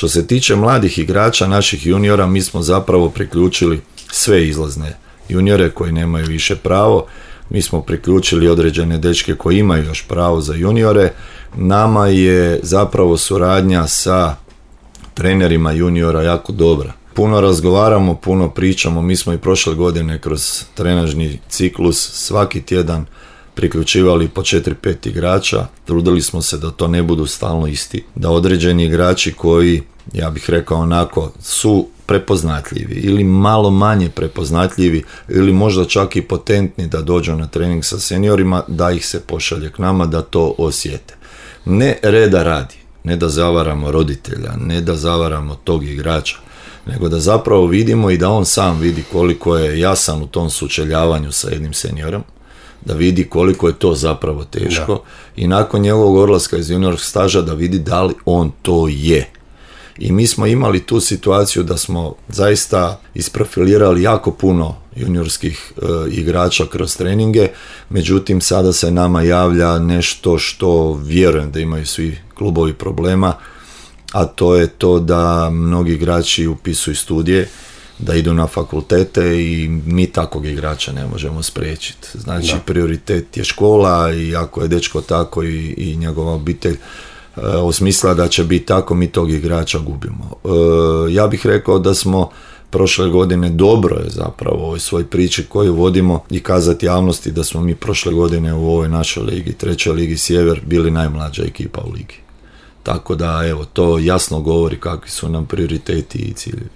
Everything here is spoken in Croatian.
Što se tiče mladih igrača, naših juniora, mi smo zapravo priključili sve izlazne juniore koji nemaju više pravo. Mi smo priključili određene dečke koji imaju još pravo za juniore. Nama je zapravo suradnja sa trenerima juniora jako dobra. Puno razgovaramo, puno pričamo, mi smo i prošle godine kroz trenažni ciklus svaki tjedan priključivali po 4-5 igrača, trudili smo se da to ne budu stalno isti, da određeni igrači koji, ja bih rekao onako, su prepoznatljivi ili malo manje prepoznatljivi ili možda čak i potentni da dođu na trening sa seniorima, da ih se pošalje k nama, da to osjete. Ne reda radi, ne da zavaramo roditelja, ne da zavaramo tog igrača, nego da zapravo vidimo i da on sam vidi koliko je jasan u tom sučeljavanju sa jednim seniorom, da vidi koliko je to zapravo teško i nakon njegovog odlaska iz juniorskog staža da vidi da li on to je. I mi smo imali tu situaciju da smo zaista isprofilirali jako puno juniorskih igrača kroz treninge, međutim sada se nama javlja nešto što vjerujem da imaju svi klubovi problema, a to je to da mnogi igrači upisuju studije, da idu na fakultete i mi takvog igrača ne možemo spriječiti. Znači prioritet je škola i ako je dečko tako i njegova obitelj osmislila da će biti tako, mi tog igrača gubimo. Ja bih rekao da smo prošle godine, dobro je zapravo u ovoj svoj priči koju vodimo i kazati javnosti da smo mi prošle godine u ovoj našoj ligi, 3. ligi Sjever, bili najmlađa ekipa u ligi. Tako da, evo, to jasno govori kakvi su nam prioriteti i ciljevi.